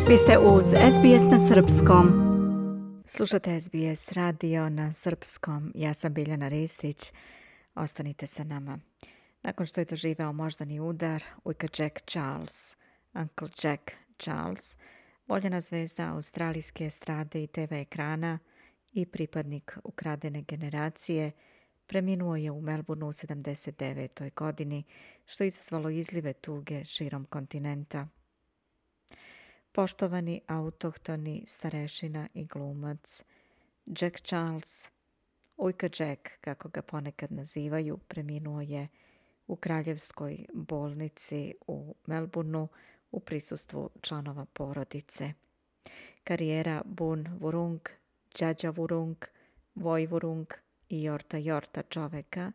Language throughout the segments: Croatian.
Vi ste uz SBS na srpskom. Slušate SBS radio na srpskom. Ja sam Biljana Ristić. Ostanite sa nama. Nakon što je doživeo moždani udar, ujka Jack Charles, Uncle Jack Charles, voljena zvezda australijske estrade i TV ekrana i pripadnik ukradene generacije, preminuo je u Melbourneu u 79. godini, što je izazvalo izlive tuge širom kontinenta. Poštovani autohtoni starešina i glumac Jack Charles, ujka Jack, kako ga ponekad nazivaju, preminuo je u kraljevskoj bolnici u Melbourneu u prisustvu članova porodice. Karijera Bun Vurung, Đađa Vurung, Voj Vurung i Jorta Jorta čoveka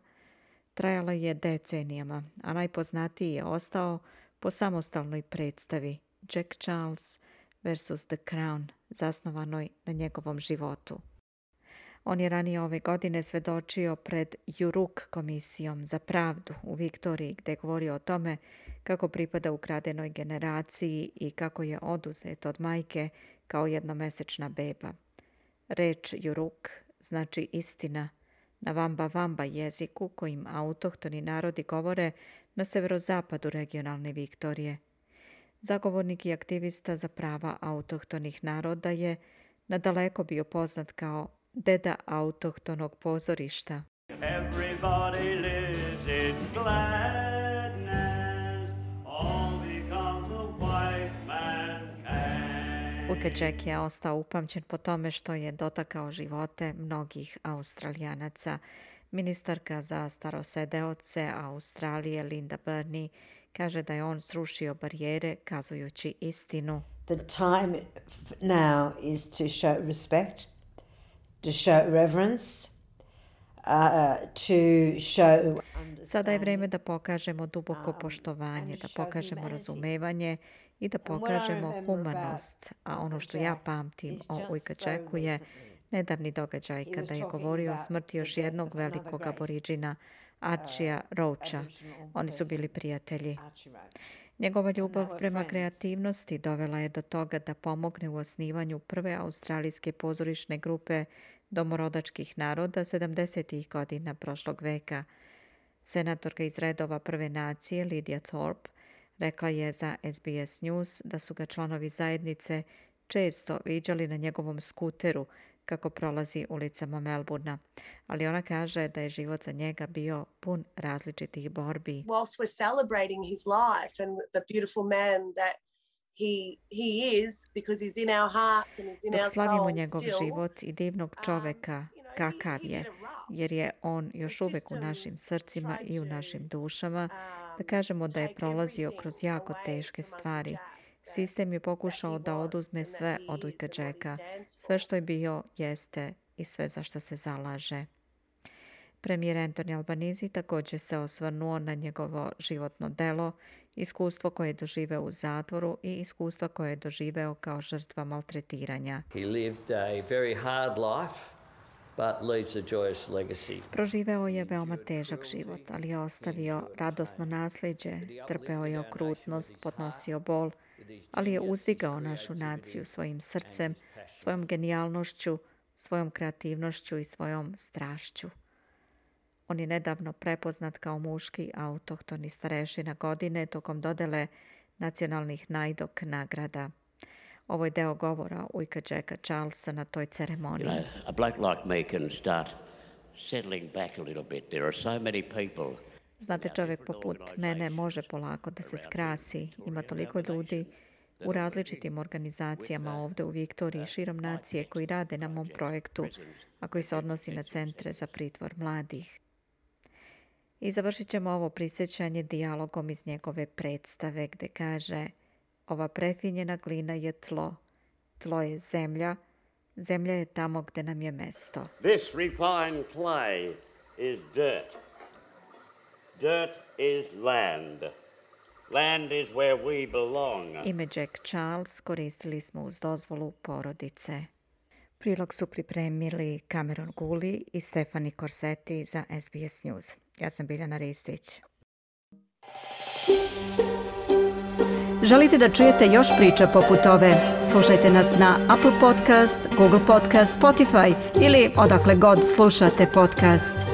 trajala je decenijama, a najpoznatiji je ostao po samostalnoj predstavi Jack Charles vs. The Crown, zasnovanoj na njegovom životu. On je ranije ove godine svedočio pred Juruk komisijom za pravdu u Viktoriji, gdje je govorio o tome kako pripada ukradenoj generaciji i kako je oduzet od majke kao jednomesečna beba. Reč Juruk znači istina na Vamba Vamba jeziku kojim autohtoni narodi govore na severozapadu regionalne Viktorije. Zagovornik i aktivista za prava autohtonih naroda je nadaleko bio poznat kao deda autohtonog pozorišta. Everybody lives in gladness, all because a white man came. Ujka Jack je ostao upamćen po tome što je dotakao živote mnogih Australijanaca. Ministarka za starosedeoce Australije Linda Burney kaže da je on srušio barijere kazujući istinu. The time now is to show respect, to show reverence, to show... Sada je vrijeme da pokažemo duboko poštovanje, da pokažemo razumevanje i da pokažemo humanost. A ono što ja pamtim o ujka Jacku je nedavni događaj kada je govorio o smrti još jednog velikog aboriđina, Archija Roacha. Oni su bili prijatelji. Njegova ljubav prema kreativnosti dovela je do toga da pomogne u osnivanju prve australijske pozorišne grupe domorodačkih naroda 70. godina prošlog veka. Senatorka iz redova Prve nacije Lydia Thorpe rekla je za SBS News da su ga članovi zajednice često viđali na njegovom skuteru kako prolazi ulicama Melbournea, ali ona kaže da je život za njega bio pun različitih borbi. Whilst we're celebrating his life and the beautiful man that he is, because he's in our hearts and he's in Dok our slavimo souls njegov still, život i divnog čoveka kakav je, jer je on još uvek u našim srcima i u našim dušama, da kažemo da je prolazio kroz jako teške stvari. Sistem je pokušao da oduzme sve od ujka Jacka, sve što je bio, jeste i sve za što se zalaže. Premijer Anthony Albanese također se osvrnuo na njegovo životno delo, iskustvo koje je doživeo u zatvoru i iskustva koje je doživeo kao žrtva maltretiranja. He lived a very hard life, but leaves a joyous legacy. Proživeo je veoma težak život, ali je ostavio radosno nasljeđe, trpeo je okrutnost, podnosio bol, ali je uzdigao našu naciju svojim srcem, svojom genijalnošću, svojom kreativnošću i svojom strašću. On je nedavno prepoznat kao muški autohtoni starešina godine tokom dodele nacionalnih najdok nagrada. Ovo je deo govora ujka Jacka Charlesa na toj ceremoniji. You know, a bloke like me can start settling back a little bit. There are so many people. Znate, čovjek poput mene može polako da se skrasi. Ima toliko ljudi u različitim organizacijama ovdje u Viktoriji širom nacije koji rade na mom projektu, a koji se odnosi na centre za pritvor mladih. I završit ćemo ovo prisjećanje dijalogom iz njegove predstave gdje kaže: ova prefinjena glina je tlo, tlo je zemlja, zemlja je tamo gdje nam je mesto. This refined clay is dirt. Dirt is land. Land is where we belong. Ime Jack Charles koristili smo uz dozvolu porodice. Prilog su pripremili Cameron Guli i Stefani Corsetti za SBS News. Ja sam Biljana Ristić. Želite da čujete još priča poput ove? Slušajte nas na Apple Podcast, Google Podcast, Spotify ili odakle god slušate podcast.